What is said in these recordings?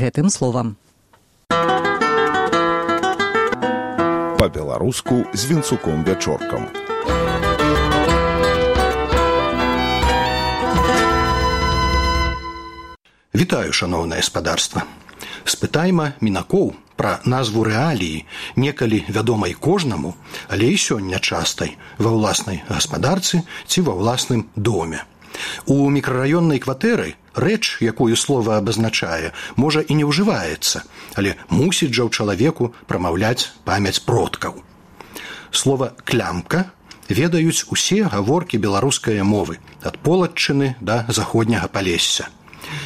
гэтым словам. Па-беларуску з Вінцуком Вячоркам. Вітаю, шаноўнае спадарства. Спытайма мінакоў пра назву рэаліі, некалі вядомай кожнаму, але і сёння частай, ва ўласнай гаспадарцы ці ва ўласным доме. У мікрараённай кватэры рэч, якую слова абазначае, можа і не ўжываецца, але мусіць жа ў чалавеку прамаўляць памяць продкаў. Слова «клямка» ведаюць усе гаворкі беларускай мовы, ад Полатчыны да заходняга Палесся.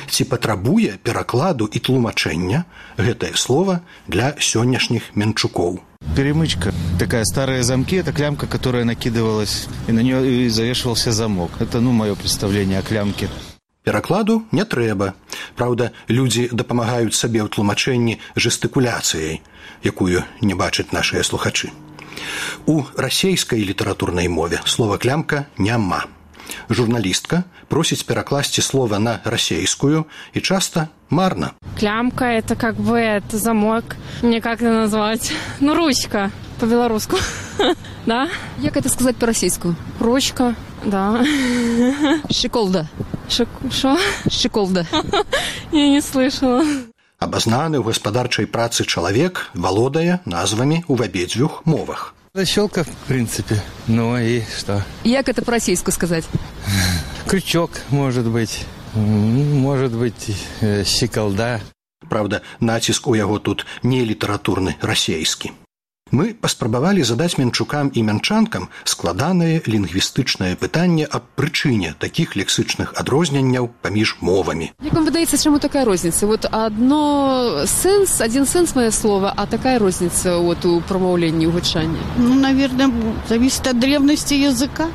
Ці патрабуе перакладу і тлумачэння гэтае слово для сённяшніх менчукоў? Перемычка. Такая старые замки, это клямка, которая накидывалась, и на нее завешивался замок. Это, мое представление о клямке. Перакладу не трэба. Праўда, людзі дапамагаюць сабе ў тлумачэнні жэстыкуляцыяй, якую не бачаць нашыя слухачы. У расейскай літаратурнай мове слова «клямка» няма. Журналістка просіць перакласці слова на расейскую, и часто марно. Клямка – это это замок. Мне как это назвать? Ручка по-белорусски. Да? Как это сказать по-российски? Ручка, да. Щеколда. Шо? Щеколда. Я не слышала. Абазнаны ў гаспадарчай працы чалавек валодае назвамі ў абедзвюх мовах. Защелка, в принципе. И что? Как это по-российски сказать? Крючок, может быть, щеколда. Правда, націск у яго тут не літаратурны, расейскі. Мы паспрабавалі задаць менчукам і мянчанкам складанае лінгвістычнае пытанне аб прычыне такіх лексычных адрозненняў паміж мовамі. Як вам выдаецца, чаму такая розніца? Один сенс мое слово, а такая розніца у промаўленні, у гучанні? Наверное, зависит от древности языка.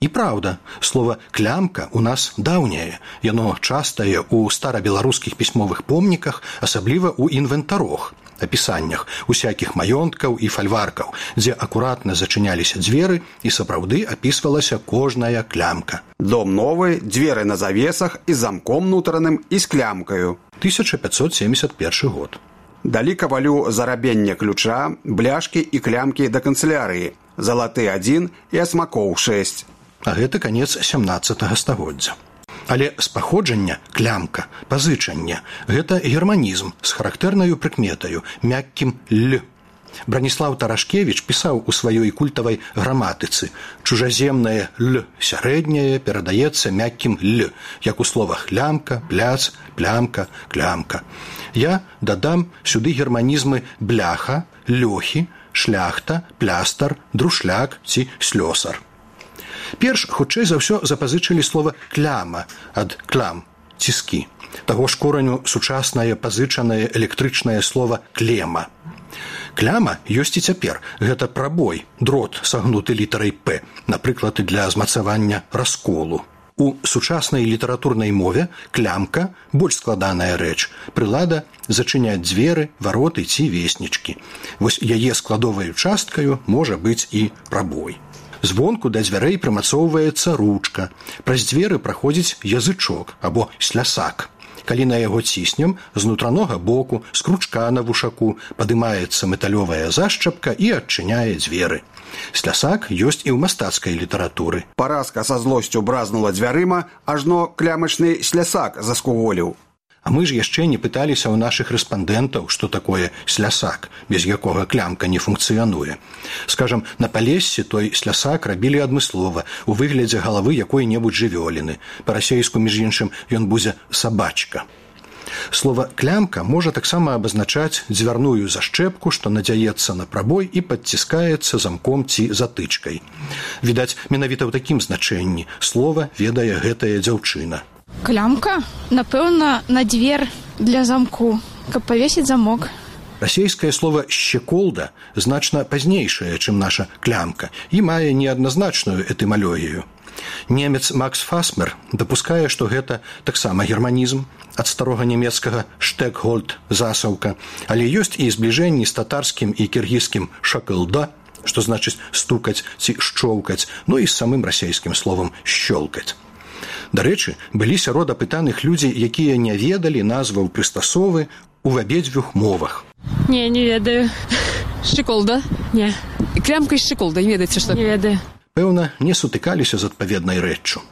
І праўда, слова «клямка» у нас даўняе. Яно частае ў старабеларускіх пісьмовых помніках, асабліва ў інвентарох, апісаннях усякіх маёнткаў і фальваркаў, дзе акуратна зачыняліся дзверы і сапраўды апісвалася кожная клямка. Дом новы, дзверы на завесах і замком нутраным і з клямкаю. 1571 год. Далі кавалю зарабенне ключа, бляшкі і клямкі да канцылярыі, залаты 1 і асмакоў 6. А гэта канец 17 стагоддзя. Але з паходжання клямка, пазычанне – гэта германізм з характэрнаю прыкметаю, мяккім «л». Браніслаў Тарашкевіч пісаў у сваёй культавай граматыцы «чужаземнае «л» сярэдняе перадаецца мяккім «л», як у словах «лямка», «пляц», «плямка», «клямка». Я дадам сюды германізмы «бляха», «лёхі», «шляхта», «плястар», «друшляк» ці «слёсар». Перш, хутчэй за ўсё, запазычылі слова «кляма» ад «клям» – «ціскі». Таго ж кораню сучаснае пазычанае электрычнае слова «клема». Кляма ёсць і цяпер. Гэта прабой, дрот, сагнуты літарай «п», напрыклад, для змацавання расколу. У сучаснай літаратурнай мове клямка – больш складаная рэч, прылада зачыняць дзверы, вароты ці веснічкі. Вось яе складоваю часткаю можа быць і прабой. Звонку да дзвярэй прымацоўваецца ручка. Праз дзверы праходзіць язычок або слясак. Калі на яго ціснем, з нутранога боку, з кручка на вушаку падымаецца металёвая зашчапка і адчыняе дзверы. Слясак ёсць і ў мастацкай літаратуры. Паразка са злосцю бразнула дзвярыма, ажно клямачны слясак заскуволіў. А мы ж яшчэ не пыталіся ў нашых рэспандэнтаў, што такое слясак, без якога клямка не функцыянуе. Скажам, на Палессі той слясак рабілі адмыслова, у выглядзе галавы якой-небудзь жывёліны. Па-расейску, між іншым, ён будзе сабачка. Слова «клямка» можа таксама абазначаць дзвярную зашчэпку, што надзяецца на прабой і падціскаецца замком ці затычкай. Відаць, менавіта ў такім значэнні слова ведае гэтая дзяўчына. Клямка? Напэўна, на дзвер для замку, каб павесіць замок. Расейскае слово «щеколда» значна пазнейшае, чым наша клямка, і мае неадназначную этымалогію. Немец Макс Фасмер дапускае, што гэта таксама германізм ад старога нямецкага «штекгольд» – засаўка, але ёсць і збліжэнні з татарскім і кіргізскім «шакылда», што значыць стукаць ці шчоўкаць, і з самым расейскім словам «щёлкаць». Дарэчы, былі сярод апытаных людзі, якія не ведалі назваў прыстасовы ў абедзвюх мовах. Не ведаю. Шчыколда? Не. Клямка і шчыколда, не ведаеце, што? Не ведаю. Пэўна, не сутыкаліся з адпаведнай рэччу.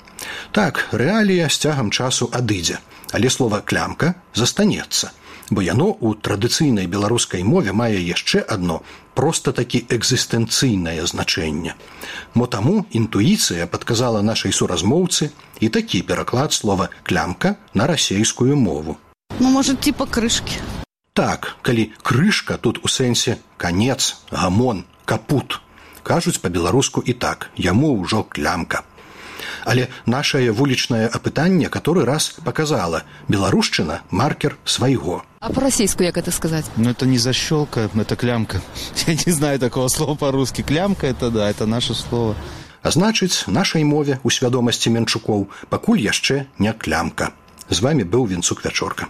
Так, рэалія з цягам часу адыдзе, але слова «клямка» застанецца, бо яно ў традыцыйнай беларускай мове мае яшчэ адно проста-такі экзістэнцыйнае значэнне. Мо таму інтуіцыя падказала нашай суразмоўцы і такі пераклад слова «клямка» на расейскую мову. Ну, может, типа крышки. Так, калі крышка тут у сэнсе канец, гамон, капут. Кажуць па-беларуску і так, яму ўжо клямка. Але нашае вулічнае апытанне каторы раз показала: беларушчына – маркер свайго. А по-расейску як это сказать? Ну, это не защелка, это клямка. Я не знаю такого слова по-русски. Клямка – это да, это наше слово. А значыць, нашай мове у свядомасці менчукоў пакуль яшчэ не клямка. З вами быў Вінцук Вячорка.